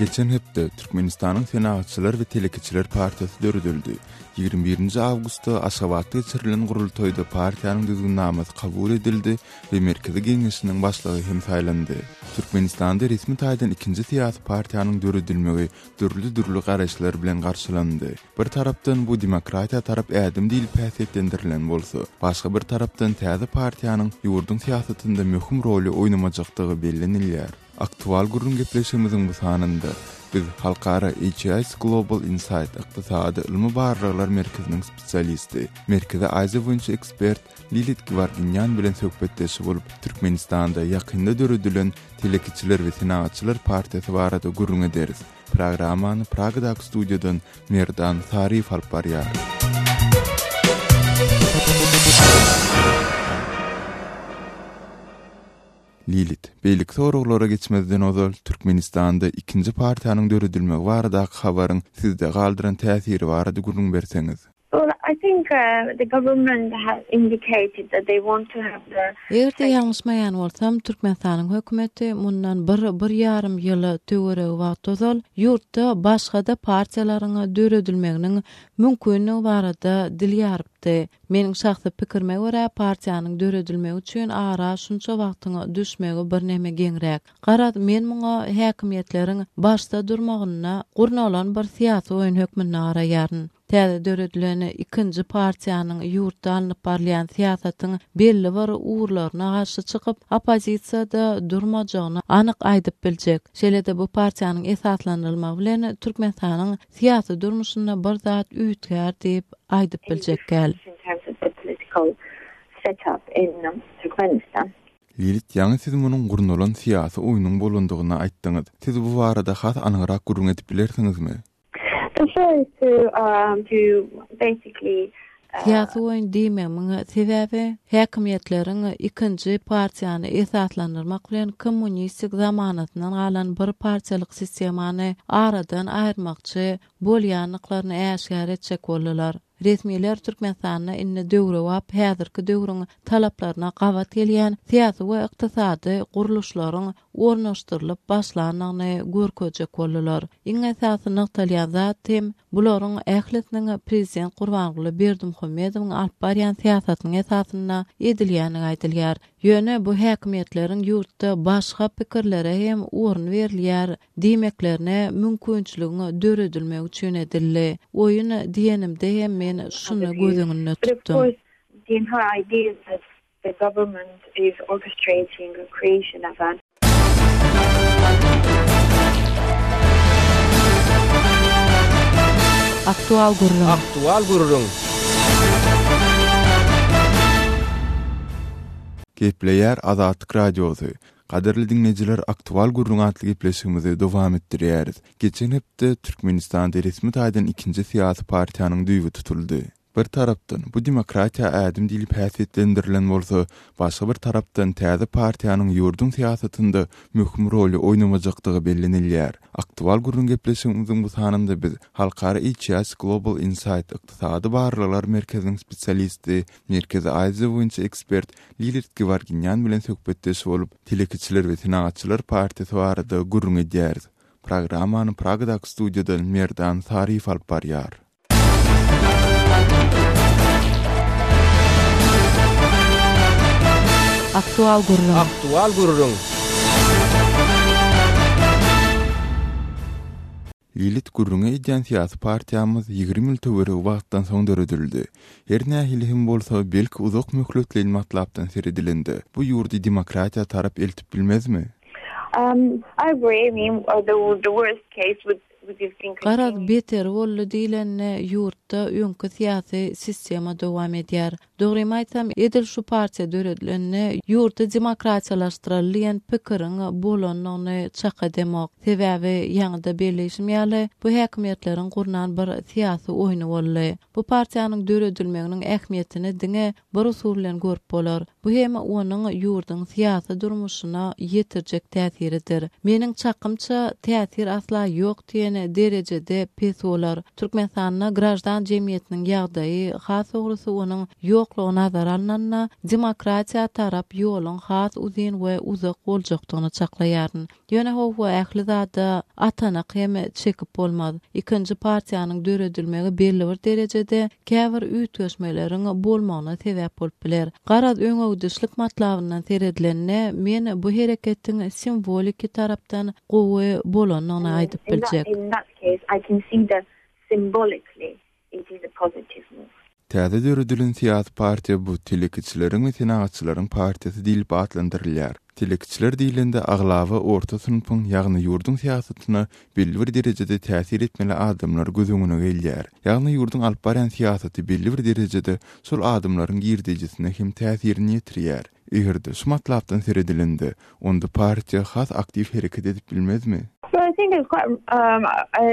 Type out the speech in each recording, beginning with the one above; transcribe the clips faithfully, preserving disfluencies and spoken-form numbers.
Geçen hepde Türkmenistanyň Senagatçylar we telekeçiler partiýasy döredildi. Ýigrimi birinji awgustda Aşgabatda geçirilen gurultaýda partiýanyň düzgünnamasy kabul edildi we Merkezi Geňeşiniň başlygy hem saýlandy. Türkmenistanda resmi taýdan ikinji syýasy partiýanyň döredilmegi dürli-dürli garaýyşlar bilen garşylandy. Bir tarapdan bu demokratiýa tarap ädim diýlip häsiýetlendirilen bolsa, başga bir tarapdan täze partiýanyň ýurduň syýasatynda möhüm roly oýnamajakdygy bellenilýär. Aktual gürrüň gepleşigimiziň bu sanynda biz Halkara H I S Global Insight ykdysady ylmy barlaglar merkeziniň spesialisti, Merkezi Aziýa boýunça ekspert Lilit Geworginýan bilen söhbetdeş bolup, Türkmenistanda ýakynda döredilen Telekeçiler we Senagatçylar partiýasy barada gürrüň ederis. Programmany Pragadaky studiýadan Merdan Saryýew alyp barýar. Lilit, beýleki soraglara geçmezden ozal Türkmenistanda ikinji partiýanyň döredilmegi baradaky habaryň sizde galdyran täsiri barada gürrüň berseňiz. Well, I think, uh, the government has indicated that they want to have the Eger-de ýalňyşmaýan bolsam, Türkmenistanyň hökümeti mundan bir, bir ýarym ýyl töweregi wagt ozal ýurtda başga-da partiýalaryň döredilmeginiň mümkinligi barada dil ýarypdy. Meniň şahsy pikirime görä, partiýanyň döredilmegi üçin ara şunça wagtyň düşmegi bir neme geňräk. Garaz, men muňa häkimiýetleriň başda durmagyna gurnalan bir syýasy oýun hökmünde garaýaryn. Täze döredilen ikinji partiýanyň ýurtda alnyp barylýan syýasatyň belli bir ugurlaryna garşy çykyp, oppozisiýada durmajagyny anyk aýdyp biljek. Şeýle-de bu partiýanyň esaslandyrylmagy bilen Türkmenistanyň syýasy durmuşynda bir zat üýtgär diýip aýdyp biljek gel. In terms of the political setup in Turkmenistan. Lilit, ýaňy siz munuň gurnalan syýasy oýnuň bolandygyny aýtdyňyz. Siz bu barada has anygrak gürrüň edip bilersiňizmi? The show is to, um, to basically, uh, Syýasy oýun diýmegimiň sebäbi häkimiýetleriň ikinji partiýany esaslandyrmak bilen kommunistik zamanatyndan galan bir partiýalyk sistemany aradan aýyrmakçy bolýanlyklaryny äşgär etjek boldular. Resmiler Türkmenistanda indi döwrebap häzirki döwrüň talaplaryna gabat gelýän syýasy we ykdysady gurluşlaryň ornaşdyrylyp başlandygyny görkezjek boldular. Iň esasy nygtalýan zat hem bularyň ählisiniň prezident Gurbanguly Berdimuhamedowyň alyp barýan syýasatynyň esasynda edilýändigi aýdylýar. Ýöne bu häkimiýetleriň ýurtda başga pikirlere hem orun berilýär diýmeklerine mümkinçiligiň döredilmegi üçin edildi. Oýun diýenimde hem men şuny göz öňünde But of tutdum. course, the entire idea is that the government is orchestrating a creation of an Aktual gürrüň. Aktual gürrüň. Gepleýär Azatlyk Radiosy. Gadyrly dinleýjiler, Aktual gürrüň atly gepleşigimizi dowam etdirýäris. Geçen hepde Türkmenistanda resmi taýdan ikinji syýasy partiýanyň düýbi tutuldy. Bir tarapdan bu demokratiýa ädim diýlip häsiýetlendirilen bolsa, başga bir tarapdan täze partiýanyň ýurduň syýasatynda möhüm roly oýnamajakdygy bellenilýär. Aktual gürrüň gepleşigimiziň bu sanynda biz Halkara H I S Global Insight ykdysady barlaglar merkeziniň spesialisti, Merkezi Aziýa boýunça ekspert Lilit Geworginýan bilen söhbetdeş bolup, Telekeçiler we Senagatçylar partiýasy barada gürrüň edýäris. Programmany Pragadaky studiýadan Merdan Saryýew alyp barýar. Aktual gürrüň. Aktual gürrüň. Lilit gürrüňe edýän syýasy partiýamyz ýigrimi ýyl töweregi wagtdan soň döredildi. Her nähili hem bolsa, belki uzak möhletleýin matlapdan seredilende, bu ýurdy demokratiýa tarap eltip bilmezmi? Um, I agree. I mean, uh, the, the worst case would, would have been Garaz continued. beter boldy diýlende ýurtda öňki syýasy sistema dowam edýär. Dogrymy aýtsam, edil şu partiýa döredilende ýurdy demokratiýalaşdyraly diýen pikiriň bolandygyny çak edemok. Sebäbi ýaňyda belleýşim ýaly, bu häkimiýetleriň gurnan bir syýasy oýny boldy. Bu partiýanyň döredilmeginiň ähmiýetini diňe bir usul bilen görüp bolar. Bu hem onuň ýurduň syýasy durmuşyna ýetirjek täsiridir. Meniň çakymça täsir asla ýok diýen derejede pes bolar. Türkmenistanda grajdan jemgyýetiniň ýagdaýy, has dogrusy onuň ýoklugy ýoklugy nazara alnanda demokratiýa tarap ýoluň has uzyn we uzak boljakdygyny çaklaýaryn. Ýöne howwa ähli zada atanak hem çekip bolmaz. Ikinji partiýanyň döredilmegi belli bir derejede käbir üýtgeşmeleriň bolmagyna sebäp bolup biler. Garaz öňegidişlik matlabyndan seredilende men bu hereketiň simwoliki tarapdan gowy bolanyny aýdyp In that, biljek. in that case, I can see that symbolically it is a positive move. Täze döredilen syýasy partiýa bu telekeçileriň we senagatçylaryň partiýasy diýlip atlandyrylýar. Telekeçiler diýlende aglaba orta synpyň, ýagny ýurduň syýasatyna belli bir derejede täsir etmeli adamlar göz öňüne gelýär. Ýagny ýurduň alyp barýan syýasaty belli bir derejede şol adamlaryň girdeýjisine hem täsirini ýetirýär. Eger-de şu matlapdan seredilende, onda partiýa has aktiw hereket edip bilmezmi? Well, I think it's quite, um,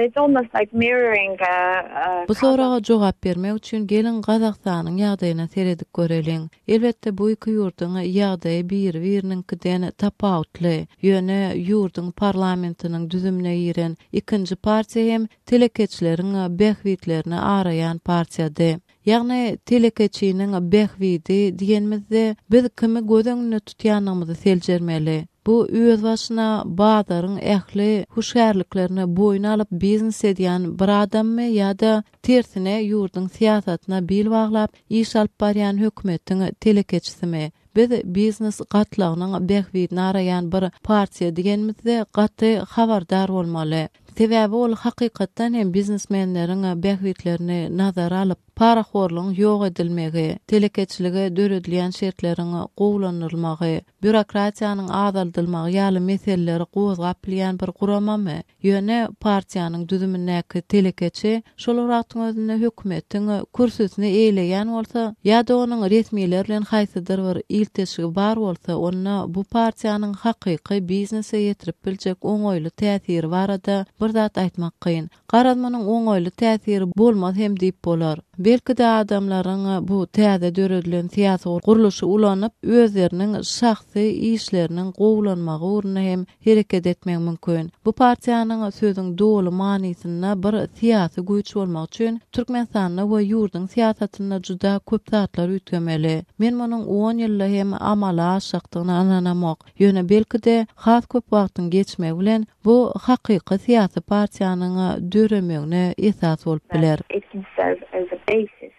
it's almost like mirroring, uh, uh, Bu soraga jogap bermek üçin gelin Gazagystanyň ýagdaýyna seredip göreliň. Elbetde bu iki ýurduň ýagdaýy bir-biriniňkiden tapawutly. Ýöne ýurduň parlamentiniň düzümine giren ikinji partiýa hem telekeçileriň bähbitlerini araýan partiýady. Ýagny telekeçiniň bähbidi diýenimizde biz kimi göz öňünde tutýanymyzy seljermeli. Bu öz başyna bazaryň ähli huşgärliklerini boýun alyp biznes edýän bir adammy ýa-da tersine ýurduň syýasatyna bil baglap iş alyp barýan hökümetiň telekeçisimi? Biz biznes gatlagynyň bähbidini araýan bir partiýa diýenimizde gaty habardar bolmaly. Sebäbi ol hakykatdan hem biznesmenleriň bähbitlerini nazara alyp, parahorlugyň ýok edilmegi, telekeçilige döredilýän şertleriň gowulandyrylmagy, býurokratiýanyň azaldylmagy ýaly meseleleri gozgap bilýän bir guramamy? Ýöne partiýanyň düzümindäki telekeçi şol wagtyň özünde hökümetiň kürsüsini eýleýän bolsa ýa-da onuň resmiler bilen haýsydyr bir ilteşigi bar bolsa, onda bu partiýanyň hakyky biznese ýetirip biljek oňaýly täsiri barada bir zat aýtmak kyn. Garaz munuň oňaýly täsiri bolmaz hem diýip bolar. Belki-de adamlaryň bu täze döredilen syýasy gurluşy ulanyp, özleriniň şahsy işleriniň gowulanmagy ugrunda hem hereket etmek mümkin. Bu partiýanyň sözüň doly manysynda bir syýasy güýç bolmak üçin Türkmenistanda we ýurduň syýasatynda juda köp zatlar üýtgemeli. Men munuň on ýylda hem amala aşjakdygyna ynanamok. Ýöne belki-de has köp wagtyň geçmegi bilen bu hakyky syýasy partiýanyň döremegine esas bolup biler. It can serve as a basis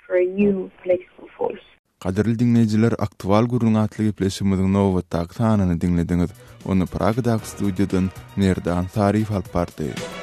for a new political force. Gadyrly dinleýjiler, Aktual gürrüň atly gepleşigimiziň nobatdaky sanyny diňlediňiz. Ony Pragadaky studiýadan Merdan Saryýew alyp bardy.